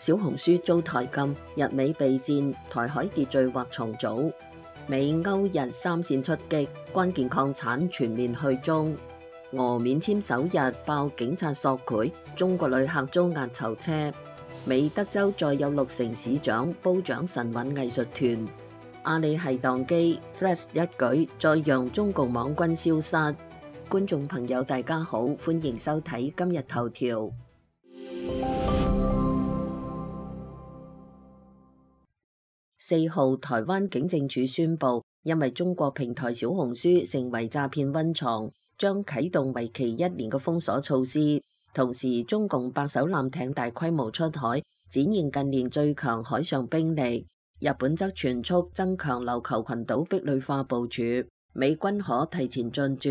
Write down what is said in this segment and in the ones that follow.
小紅書遭台禁，日美備戰，台海秩序或重組。美歐日三線出擊，關鍵礦產全面去中。俄免簽首日爆警察索賄，中國旅客遭押囚車。美德州再有6成市長褒獎神韻藝術團。阿里系宕機 ，Threads 一舉再讓中共網軍消失。觀眾朋友大家好，歡迎收睇今日頭條。4號，台灣警政署宣布，因為中國平台小紅書成為詐騙溫床，將啟動為期1年嘅封鎖措施。同時，中共8艘艦艇大規模出海，展現近年最強海上兵力。日本則全速增強琉球群島壁壘化部署，美軍可提前進駐。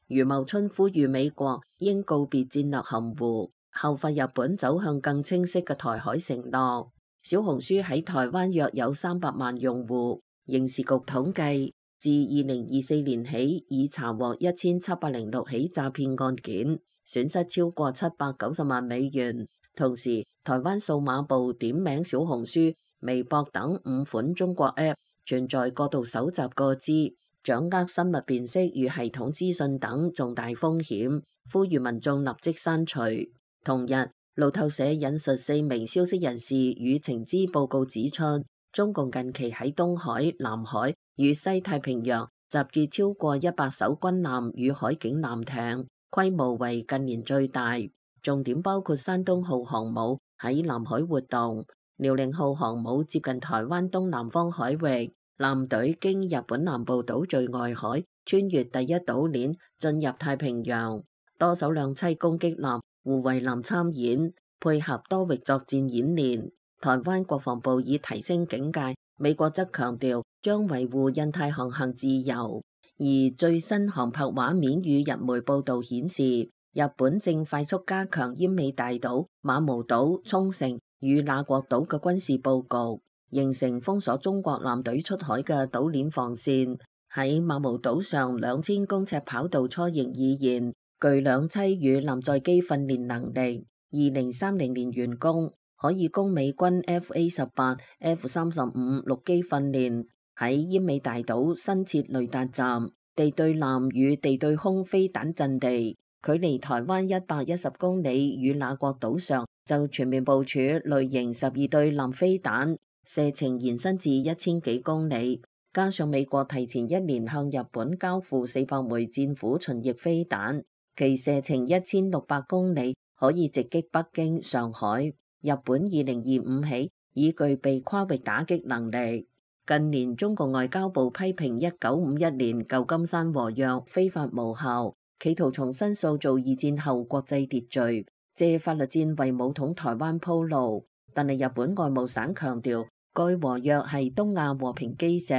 余茂春呼籲美國應告別戰略含糊，效法日本走向更清晰嘅台海承諾。小紅書喺台灣約有300萬用戶，刑事局統計，自2024年起已查獲1706起詐騙案件，損失超過790萬美元。同時，台灣數碼部點名小紅書、微博等5款中國 App 存在過度搜集個資、掌握生物辨識與系統資訊等重大風險，呼籲民眾立即刪除。同日，路透社引述4名消息人士與情資報告指出，中共近期喺東海、南海與西太平洋集結超過100艘軍艦與海警艦艇，規模為近年最大。重點包括山東號航母喺南海活動，遼寧號航母接近台灣東南方海域，艦隊經日本南部島最外海，穿越第一島鏈進入太平洋，多艘兩棲攻擊艦、護衛艦參演，配合多域作戰演練。台灣國防部已提升警戒，美國則強調將維護印太航行自由。而最新航拍畫面與日媒報道顯示，日本正快速加強奄美大島、馬毛島、沖繩與那國島嘅軍事佈局，形成封鎖中國艦隊出海嘅島鏈防線。喺馬毛島上2000公尺跑道初型已現，具兩棲與艦載機訓練能力，2030年完工，可以供美軍 FA-18、F-35 陸基訓練。喺奄美大島新設雷達站、地對艦與地對空飛彈陣地，距離台灣110公里，與那國島上就全面部署類型12對艦飛彈，射程延伸至1000幾公里。加上美國提前1年向日本交付400枚戰斧巡弋飛彈，其射程1600公里，可以直擊北京、上海。日本2025起已具備跨域打擊能力。近年中國外交部批評1951年舊金山和約非法無效，企圖重新塑造2戰後國際秩序，借法律戰為武統台灣鋪路。但係日本外務省強調，該和約係東亞和平基石。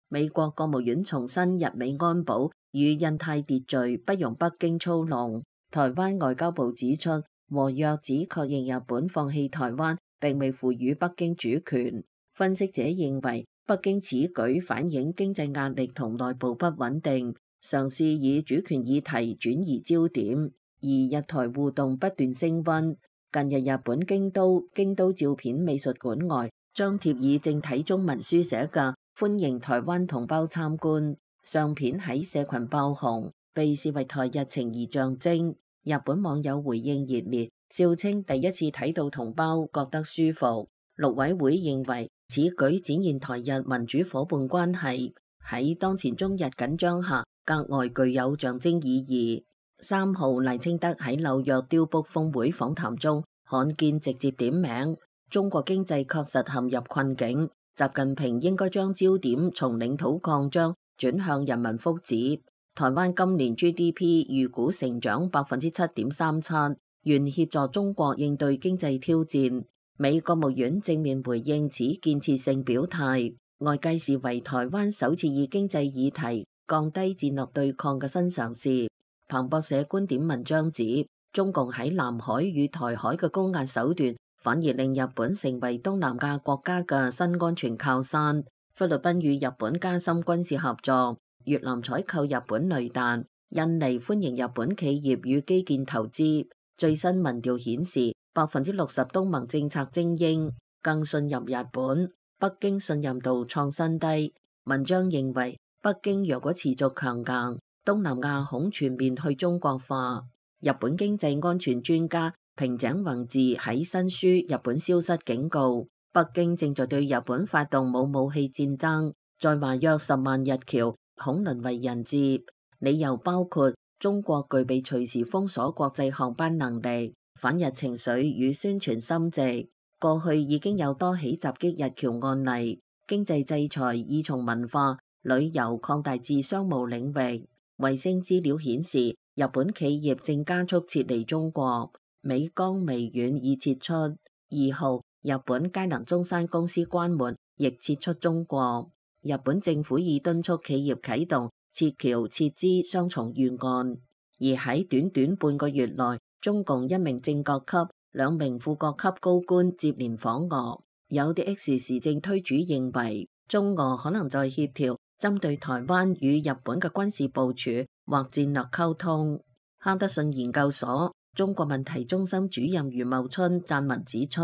美國國務院重申日美安保與印太秩序不容北京操弄。台灣外交部指出，和約只確認日本放棄台灣，並未賦予北京主權。分析者認為，北京此舉反映經濟壓力同內部不穩定，嘗試以主權議題轉移焦點。而日台互動不斷升溫。近日日本京都照片美術館外張貼以正體中文書寫嘅歡迎台灣同胞參觀，相片喺社群爆紅，被視為台日情誼象徵。日本網友回應熱烈，笑稱第一次睇到同胞覺得舒服。陸委會認為此舉展現台日民主夥伴關係喺當前中日緊張下格外具有象徵意義。3號，賴清德喺紐約雕卜峰會訪談中罕見直接點名中國經濟確實陷入困境，習近平應該將焦點從領土擴張轉向人民福祉。台灣今年 GDP 預估成長7.37%，願協助中國應對經濟挑戰。美國務院正面回應此建設性表態，外界視為台灣首次以經濟議題降低戰略對抗嘅新嘗試。彭博社觀點文章指，中共喺南海與台海嘅高壓手段，反而令日本成為東南亞國家嘅新安全靠山。菲律賓與日本加深軍事合作，越南採購日本雷彈，印尼歡迎日本企業與基建投資。最新民調顯示， 60%東盟政策精英更信任日本，北京信任度創新低。文章認為，北京若果持續強硬，東南亞恐全面去中國化。日本經濟安全專家平井宏治喺新書《日本消失》警告，北京正在對日本發動冇武器戰爭，在華約10萬日僑恐淪為人質。理由包括中國具備隨時封鎖國際航班能力，反日情緒與宣傳深植。過去已經有多起襲擊日僑案例，經濟制裁已從文化、旅遊擴大至商務領域。衛星資料顯示，日本企業正加速撤離中國，美光微軟已撤出。2號，日本佳能中山公司關門，亦撤出中國。日本政府已敦促企業啟動撤僑撤資雙重預案。而喺短短半個月內，中共1名正閣級、2名副閣級高官接連訪俄。有啲 X 時政推主認為，中俄可能在協調針對台灣與日本嘅軍事部署或戰略溝通。哈德遜研究所中國問題中心主任余茂春撰文指出，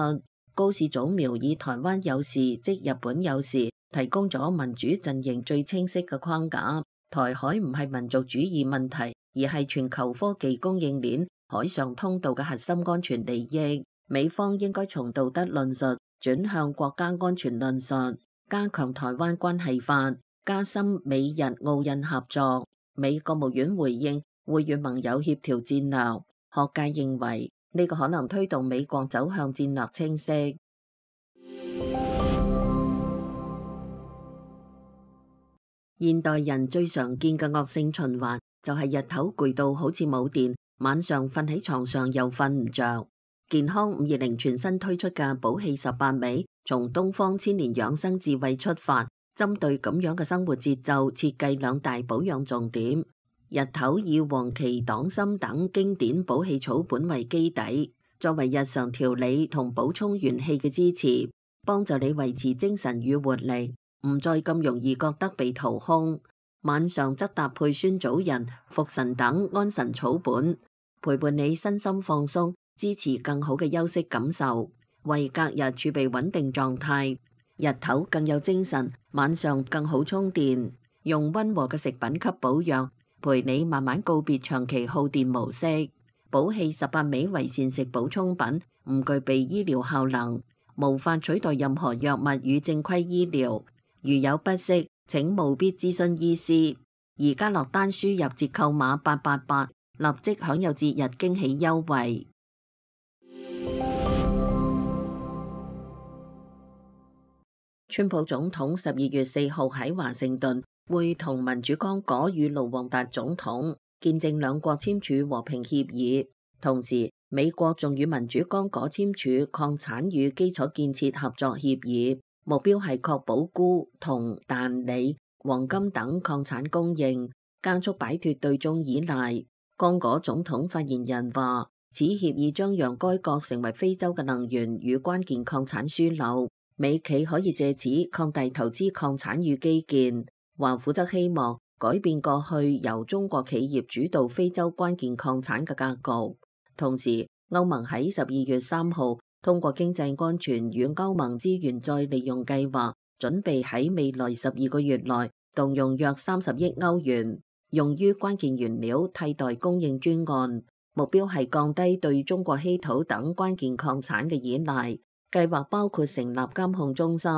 高市早苗以台灣有事即日本有事，提供咗民主陣營最清晰嘅框架。台海唔係民族主義問題，而係全球科技供應鏈海上通道嘅核心安全利益。美方應該從道德論述轉向國家安全論述，加強台灣關係法，加深美日澳印合作。美國務院回應會與盟友協調戰略，學界認為呢個可能推動美國走向戰略清晰。現代人最常見嘅惡性循環就係日頭攰到好似冇電，晚上瞓喺床上又瞓唔着。健康520全新推出嘅寶氣18味，從東方千年養生智慧出發，針對咁樣嘅生活節奏，設計2大保養重點。日頭以黃芪、黨參等經典補氣草本為基底，作為日常調理同補充元氣嘅支持，幫助你維持精神與活力，唔再咁容易覺得被掏空。晚上則搭配酸棗仁、茯神等安神草本，陪伴你身心放鬆，支持更好嘅休息感受，為隔日儲備穩定狀態。日頭更有精神，晚上更好充電。用溫和嘅食品給保養，陪你慢慢告別長期耗電模式。寶氣18味為膳食補充品，唔具備醫療效能，無法取代任何藥物與正規醫療。如有不適，請務必諮詢醫師。而家落單輸入折扣碼888，立即享有節日驚喜優惠。川普總統12月4號喺華盛頓會同民主剛果與盧旺達總統見證兩國簽署和平協議，同時美國仲與民主剛果簽署礦產與基礎建設合作協議，目標係確保鈷、銅、氮、鋰、黃金等礦產供應，加速擺脫對中依賴。剛果總統發言人話，此協議將讓該國成為非洲嘅能源與關鍵礦產樞紐，美企可以借此擴大投資礦產與基建。華府則希望改變過去由中國企業主導非洲關鍵礦產嘅格局。同時，歐盟喺12月3號通過經濟安全與歐盟資源再利用計劃，準備喺未來12個月內動用約30億歐元，用於關鍵原料替代供應專案，目標係降低對中國稀土等關鍵礦產嘅依賴。計劃包括成立監控中心，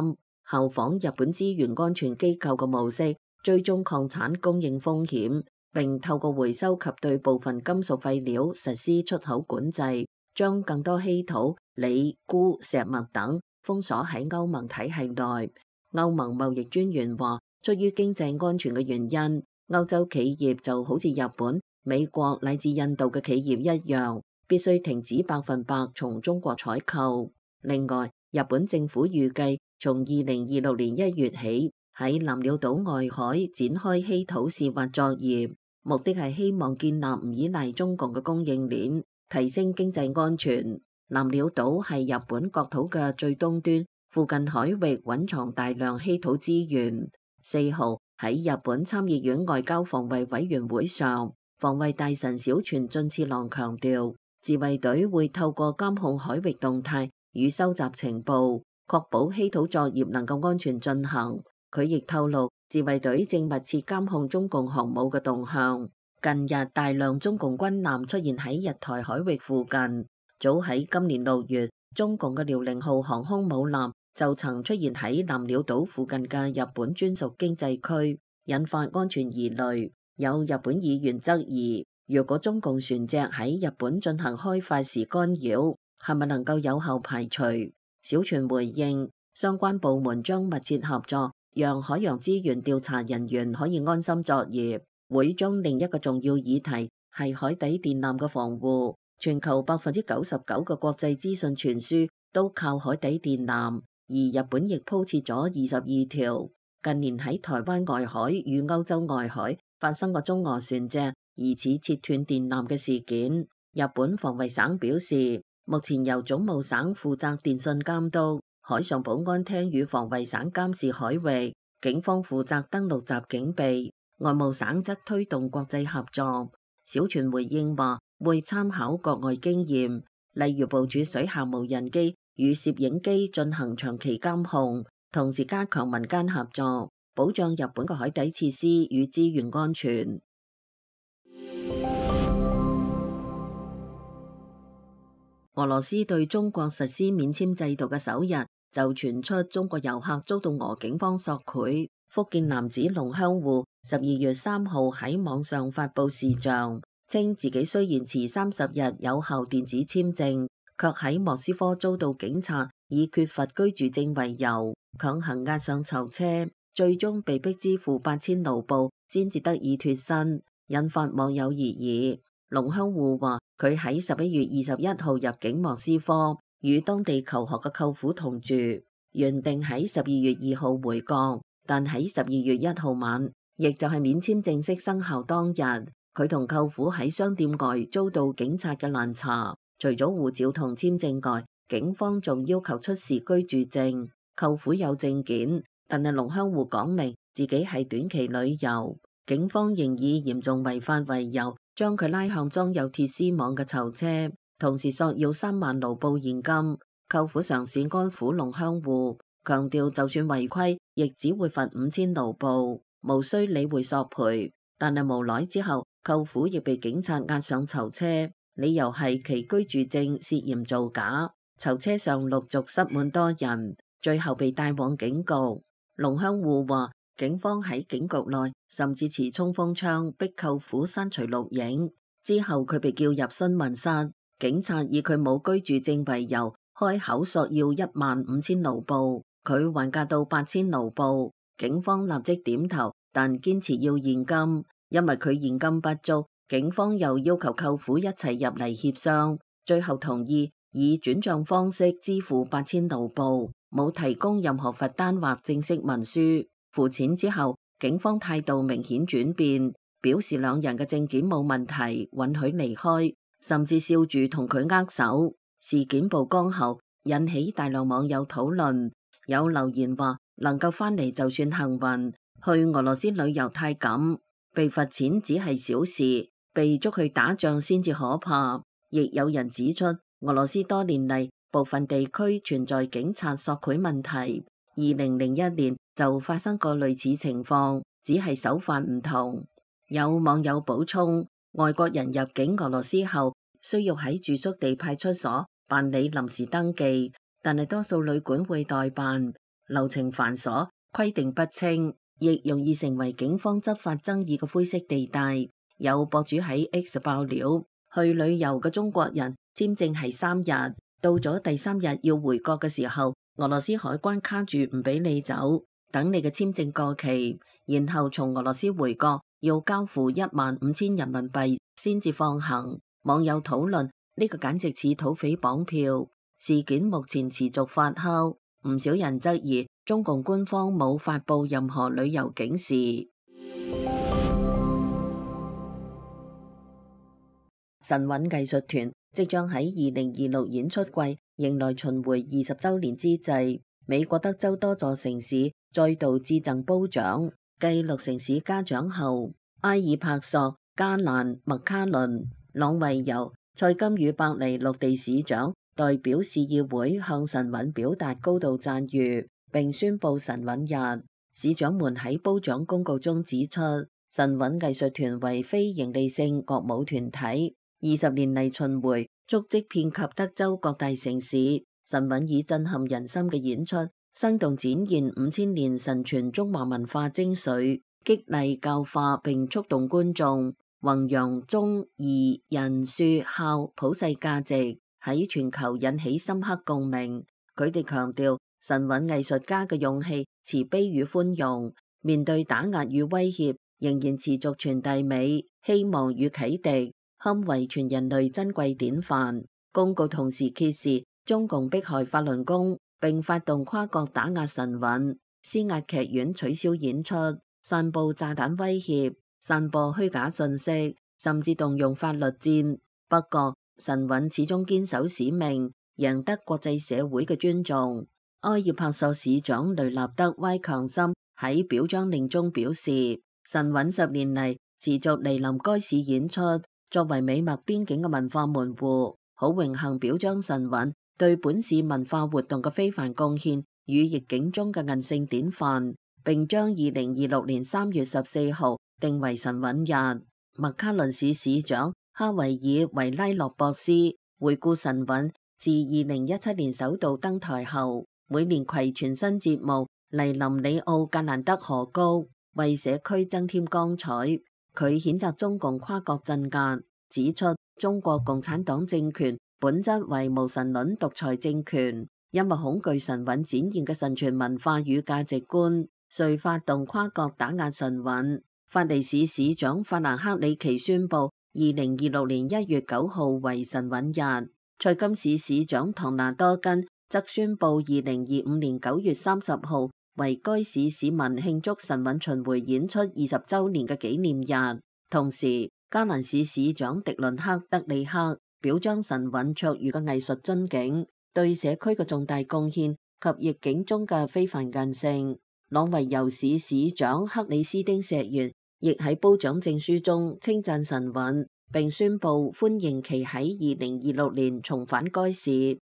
效仿日本資源安全機構嘅模式，追蹤礦產供應風險，並透過回收及對部分金屬廢料實施出口管制，將更多稀土、鋰、鈷、石墨等封鎖喺歐盟體系內。歐盟貿易專員話，出於經濟安全嘅原因，歐洲企業就好似日本、美國乃至印度嘅企業一樣，必須停止100%從中國採購。另外，日本政府預計從2026年1月起喺南鳥島外海展開稀土試挖作業，目的係希望建立唔依賴中共嘅供應鏈，提升經濟安全。南鳥島係日本國土嘅最東端，附近海域蘊藏大量稀土資源。4號喺日本參議院外交防衛委員會上，防衛大臣小泉進次郎強調，自衛隊會透過監控海域動態與收集情報，確保稀土作業能夠安全進行。佢亦透露，自衛隊正密切監控中共航母嘅動向。近日大量中共軍艦出現喺日台海域附近。早喺今年6月，中共嘅遼寧號航空母艦就曾出現喺南鳥島附近嘅日本專屬經濟區，引發安全疑慮。有日本議員質疑，如果中共船隻喺日本進行開發時干擾，係咪能夠有效排除？小泉回應，相關部門將密切合作，讓海洋資源調查人員可以安心作業。會中另一個重要議題係海底電纜嘅防護。全球99%嘅國際資訊傳輸都靠海底電纜，而日本亦鋪設咗22條。近年喺台灣外海與歐洲外海發生過中俄船隻疑似切斷電纜嘅事件。日本防衛省表示，目前由總務省負責電信監督，海上保安廳與防衛省監視海域，警方負責登陸襲警備。外務省則推動國際合作。小泉回應話，會參考國外經驗，例如部署水下無人機與攝影機進行長期監控，同時加強民間合作，保障日本嘅海底設施與資源安全。俄羅斯對中國實施免簽制度嘅首日，就傳出中國遊客遭到俄警方索賄。福建男子龍香戶12月3號喺網上發布視像，稱自己雖然持30日有效電子簽證，卻喺莫斯科遭到警察以缺乏居住證為由強行押上囚車，最終被逼支付8000盧布先至得以脫身，引發網友熱議。龍香戶話佢喺11月21號入境莫斯科，與當地求學嘅舅父同住，原定喺12月2號回國。但喺12月1號晚，亦就係免簽正式生效當日，佢同舅父喺商店外遭到警察嘅攔查。除咗護照同簽證外，警方仲要求出示居住證。舅父有證件，但係龍香戶講明自己係短期旅遊。警方仍以嚴重違法為由，將佢拉向裝有鐵絲網嘅囚車，同時索要3萬盧布現金。舅父嘗試安撫龍香戶，強調就算違規，亦只會罰5000盧布，無需理會索賠。但係無奈之後，舅父亦被警察押上囚車，理由係其居住證涉嫌造假。囚車上陸續塞滿多人，最後被帶往警局。龍香戶話，警方喺警局內甚至持衝鋒槍逼舅父刪除錄影，之後佢被叫入詢問室，警察以佢冇居住證為由，開口索要15000盧布，佢還價到8000盧布，警方立即點頭，但堅持要現金，因為佢現金不足，警方又要求舅父一齊入嚟協商，最後同意以轉賬方式支付8000盧布，冇提供任何罰單或正式文書。付錢之後，警方態度明顯轉變，表示兩人嘅證件冇問題，允許離開，甚至笑住同佢握手。事件曝光後，引起大量網友討論，有留言話能夠翻嚟就算幸運，去俄羅斯旅遊太趕，被罰錢只係小事，被捉去打仗先至可怕。亦有人指出，俄羅斯多年嚟部分地區存在警察索賄問題，2001年就發生過類似情況，只係手法唔同。有網友補充，外國人入境俄羅斯後需要喺住宿地派出所辦理臨時登記，但係多數旅館會代辦，流程繁瑣，規定不清，亦容易成為警方執法爭議嘅灰色地帶。有博主喺 X 爆料，去旅遊嘅中國人簽證係3日，到咗第3日要回國嘅時候，俄羅斯海關卡住唔俾你走，等你嘅簽證過期，然後從俄羅斯回國要交付15000人民幣先至放行。網友討論，呢個簡直似土匪綁票。事件目前持續發酵，唔少人質疑中共官方冇發布任何旅遊警示。神韻藝術團即將喺2026演出季迎來巡迴20週年之際，美國德州多座城市再度致贈褒獎，繼6城市嘉獎後，埃爾帕索、加蘭、麥卡倫、朗維尤、蔡金與伯利陸地市長代表市議會向晨韻表達高度讚譽，並宣布晨韻日。市長們喺褒獎公告中指出，晨韻藝術團為非營利性國舞團體，20年嚟巡迴，足跡遍及德州各大城市。晨韻以震撼人心嘅演出，生動展現5000年神傳中華文化精髓，激勵教化並觸動觀眾，弘揚忠義仁恕孝普世價值，喺全球引起深刻共鳴。佢哋強調晨韻藝術家嘅勇氣、慈悲與寬容，面對打壓與威脅，仍然持續傳遞美、希望與啟迪，堪為全人類珍貴典範。公告同時揭示中共迫害法輪功，並發動跨國打壓晨韻，施壓劇院取消演出，散佈炸彈威脅，散播虛假信息，甚至動用法律戰。不過，晨韻始終堅守使命，贏得國際社會嘅尊重。埃爾帕索市長雷納德·歪強森喺表彰令中表示，晨韻10年嚟持續蒞臨該市演出，作為美墨邊境嘅文化門戶，好榮幸表彰晨韻對本市文化活動嘅非凡貢獻與逆境中嘅韌性典範，並將2026年3月14號定為晨韻日。麥卡倫市市長哈維爾·維拉諾博斯回顧晨韻自2017年首度登台後，每年攜全新節目嚟臨里奧格蘭德河谷，為社區增添光彩。佢譴責中共跨國鎮壓，指出中國共產黨政權本質為無神論獨裁政權，因為恐懼晨韻展現嘅神傳文化與價值觀，遂發動跨國打壓晨韻。法利市市長法蘭克里奇宣布2026年1月9號為晨韻日。塞金市市長唐納多根則宣布2025年9月30號為該市市民慶祝晨韻巡迴演出20週年嘅紀念日。同時，加蘭市市長迪倫克德里克表彰晨韻卓越嘅藝術樽頸，對社區嘅重大貢獻及逆境中嘅非凡韌性。朗維尤市市長克里斯丁石原亦喺褒獎證書中稱讚晨韻，並宣布歡迎其喺2026年重返該市。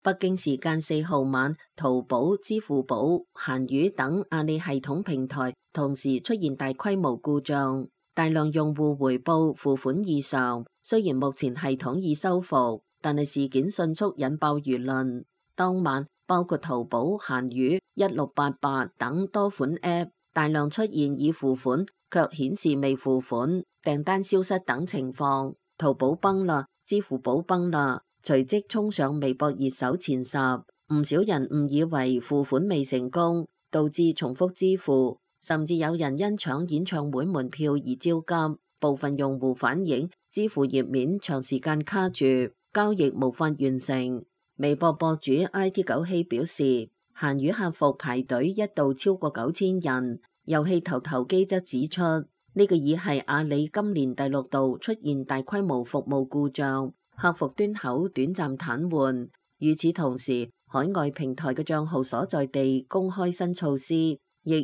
北京時間4號晚，淘寶、支付寶、閒魚等阿里系統平台同時出現大規模故障，大量用戶回報付款異常。雖然目前系統已修復，但係事件迅速引爆輿論。當晚，包括淘寶、閒魚、1688等多款 App 大量出現已付款卻顯示未付款、訂單消失等情況。淘寶崩啦，支付寶崩啦，隨即衝上微博熱搜前10。唔少人誤以為付款未成功，導致重複支付，甚至有人因搶演唱會門票而焦急。部分用戶反映支付頁面長時間卡住，交易無法完成。微博博主 IT 九希表示，閒魚客服排隊一度超過9000人。遊戲頭頭機則指出，呢個已係阿里今年第6度出現大規模服務故障，客服端口短暫癱瘓。與此同時，海外平台嘅賬號所在地公開新措施，亦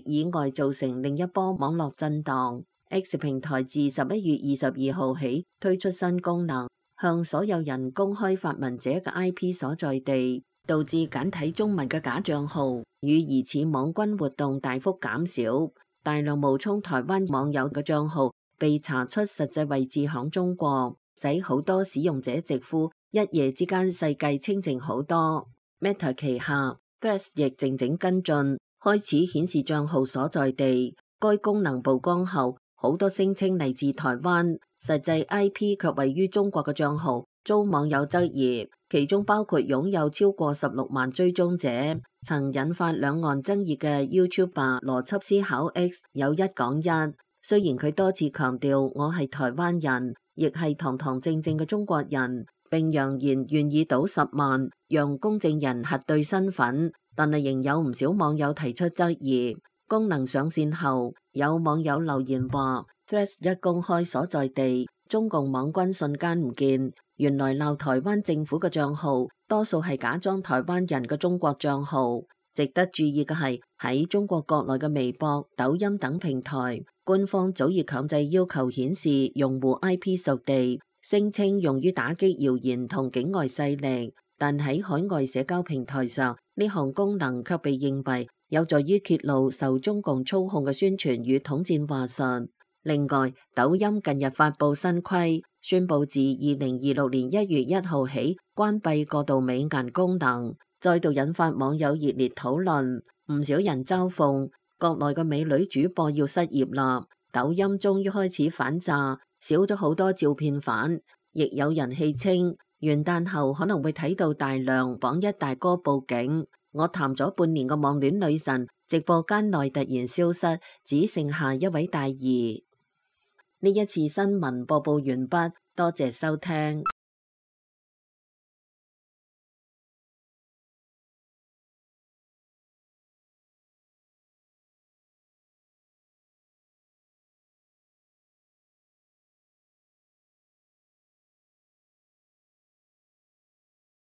意外造成另一波網絡震盪。X 平台自11月22號起推出新功能，向所有人公開發文者嘅 IP 所在地，導致簡體中文嘅假賬號與疑似網軍活動大幅減少。大量冒充台灣網友嘅賬號被查出實際位置響中國，使好多使用者直呼一夜之間世界清靜好多。Meta 旗下 Threads 亦靜靜跟進，開始顯示賬號所在地。該功能曝光後，好多聲稱嚟自台灣，實際 IP 卻位於中國嘅賬號遭網友質疑，其中包括擁有超過16萬追蹤者。曾引發兩岸爭議嘅 YouTuber 邏輯思考 X 有一講一，雖然佢多次強調我係台灣人，亦係堂堂正正嘅中國人，並揚言願意賭10萬讓公證人核對身份，但係仍有唔少網友提出質疑。功能上線後，有網友留言話 Threads 一公開所在地，中共網軍瞬間唔見。原來鬧台灣政府嘅賬號多數係假裝台灣人嘅中國賬號。值得注意嘅係，喺中國國內嘅微博、抖音等平台，官方早已強制要求顯示用戶 IP 屬地，聲稱用於打擊謠言同境外勢力。但喺海外社交平台上，呢項功能卻被認為有助於揭露受中共操控嘅宣傳與統戰話術。另外，抖音近日發布新規，宣布自2026年1月1號起關閉過度美顏功能，再度引發網友熱烈討論。唔少人嘲諷國內嘅美女主播要失業啦，抖音終於開始反詐，少咗好多照片反。亦有人戲稱元旦後可能會睇到大量網一大哥報警。我談咗半年嘅網戀女神，直播間內突然消失，只剩下一位大姨。呢一次新聞播報完畢，多謝收聽。